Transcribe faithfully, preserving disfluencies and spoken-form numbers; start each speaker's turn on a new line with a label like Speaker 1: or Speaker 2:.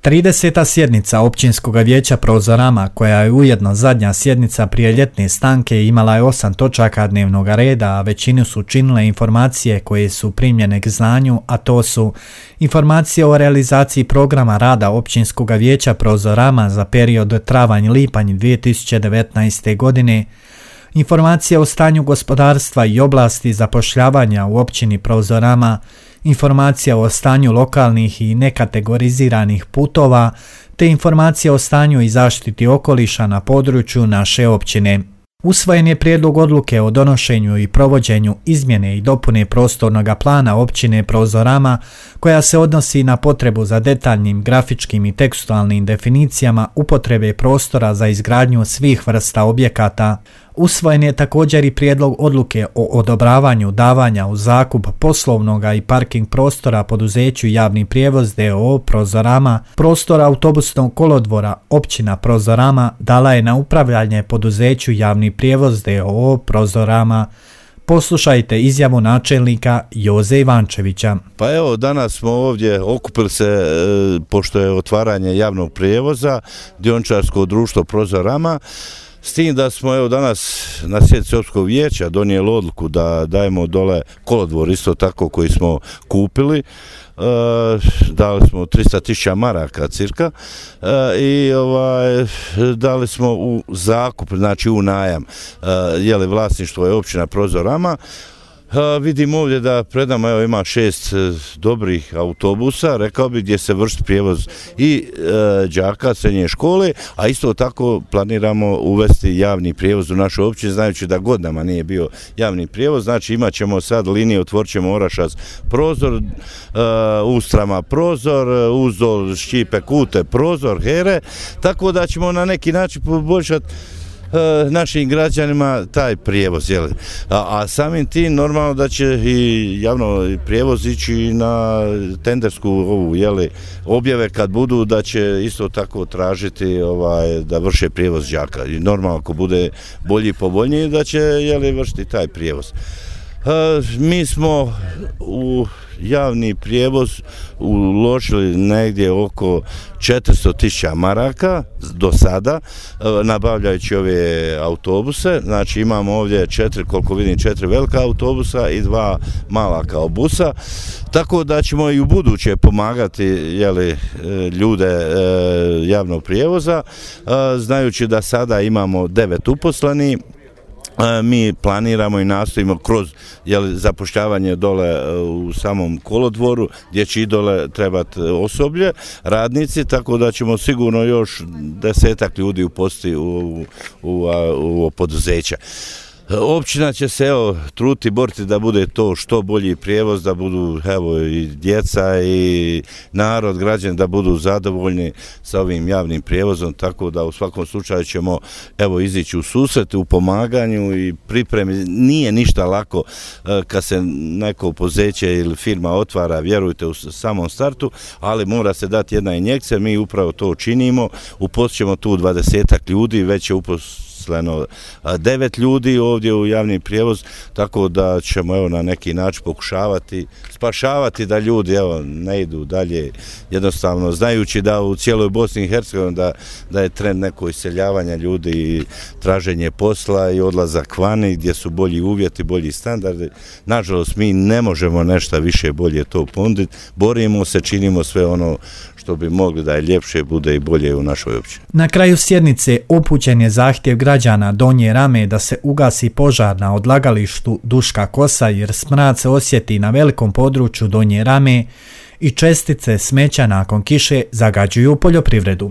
Speaker 1: trideseta sjednica Općinskog vijeća Prozorama, koja je ujedno zadnja sjednica prije ljetne stanke, imala je osam točaka dnevnog reda, a većinu su činile informacije koje su primljene k znanju, a to su informacije o realizaciji programa rada Općinskog vijeća Prozorama za period travanj-lipanj dvije tisuće devetnaeste. godine, informacije o stanju gospodarstva i oblasti zapošljavanja u općini Prozorama, informacija o stanju lokalnih i nekategoriziranih putova, te informacija o stanju i zaštiti okoliša na području naše općine. Usvojen je prijedlog odluke o donošenju i provođenju izmjene i dopune prostornog plana općine Prozorama, koja se odnosi na potrebu za detaljnim grafičkim i tekstualnim definicijama upotrebe prostora za izgradnju svih vrsta objekata. Usvojen je također i prijedlog odluke o odobravanju davanja u zakup poslovnog i parking prostora poduzeću Javni prijevoz d o o Prozorama. Prostor autobusnog kolodvora općina Prozorama dala je na upravljanje poduzeću Javni prijevoz d o o Prozorama. Poslušajte izjavu načelnika Joze Ivančevića.
Speaker 2: Pa evo, danas smo ovdje okupili se, e, pošto je otvaranje javnog prijevoza, dioničarsko društvo Prozorama, s tim da smo evo danas na sjednici općinskog vijeća donijeli odluku da dajemo dole kolodvor isto tako koji smo kupili. E, dali smo tristo tisuća maraka cirka e, i ovaj, dali smo u zakup, znači u najam, e, jeli vlasništvo je općina Prozorama. Uh, vidimo ovdje da pred nama evo, ima šest uh, dobrih autobusa, rekao bih, gdje se vrši prijevoz i uh, đaka srednje škole, a isto tako planiramo uvesti javni prijevoz u našu općinu, znajući da godinama nije bio javni prijevoz. Znači imat ćemo sad linije, otvorit ćemo Orašac Prozor, uh, Ustrama Prozor, Uzdol, Ščipe, Kute Prozor, Here, tako da ćemo na neki način poboljšati našim građanima taj prijevoz, jeli. A, a samim tim normalno da će i javno prijevoz ići na tendersku ovu, jeli, objave kad budu, da će isto tako tražiti ovaj, da vrše prijevoz đaka. I normalno ako bude bolji i povoljniji da će, jeli, vršiti taj prijevoz. A, mi smo u javni prijevoz uložili negdje oko četiristo tisuća maraka do sada, nabavljajući ove autobuse. Znači imamo ovdje četiri, koliko vidim, četiri velika autobusa i dva mala kao busa, tako da ćemo i u buduće pomagati, jeli, ljude javnog prijevoza, znajući da sada imamo devet uposlenih. Mi planiramo i nastojimo kroz, jeli, zapošljavanje dole u samom kolodvoru, gdje će i dole trebati osoblje, radnici, tako da ćemo sigurno još desetak ljudi uposliti u, u, u, u poduzeća. Općina će se evo truti, boriti da bude to što bolji prijevoz, da budu evo i djeca i narod, građani da budu zadovoljni sa ovim javnim prijevozom, tako da u svakom slučaju ćemo evo izići u susret, u pomaganju i pripremi. Nije ništa lako kad se neko poduzeće ili firma otvara, vjerujte, u samom startu, ali mora se dati jedna injekcija, mi upravo to činimo, uposlićemo tu dvadesetak ljudi, već je uposleno devet ljudi ovdje u javni prijevoz, tako da ćemo evo na neki način pokušavati spašavati da ljudi evo ne idu dalje, jednostavno znajući da u cijeloj Bosni i Hercegovini da, da je trend neko iseljavanja ljudi i traženje posla i odlazak vani gdje su bolji uvjeti, bolji standardi. Nažalost mi ne možemo nešto više bolje to ponuditi, borimo se, činimo sve ono što bi mogli da je ljepše, bude i bolje u našoj općini.
Speaker 1: Na kraju sjednice upućen je zahtjev građana Donje Rame da se ugasi požar na odlagalištu Duška Kosa, jer smrad se osjeti na velikom području Donje Rame i čestice smeća nakon kiše zagađuju poljoprivredu.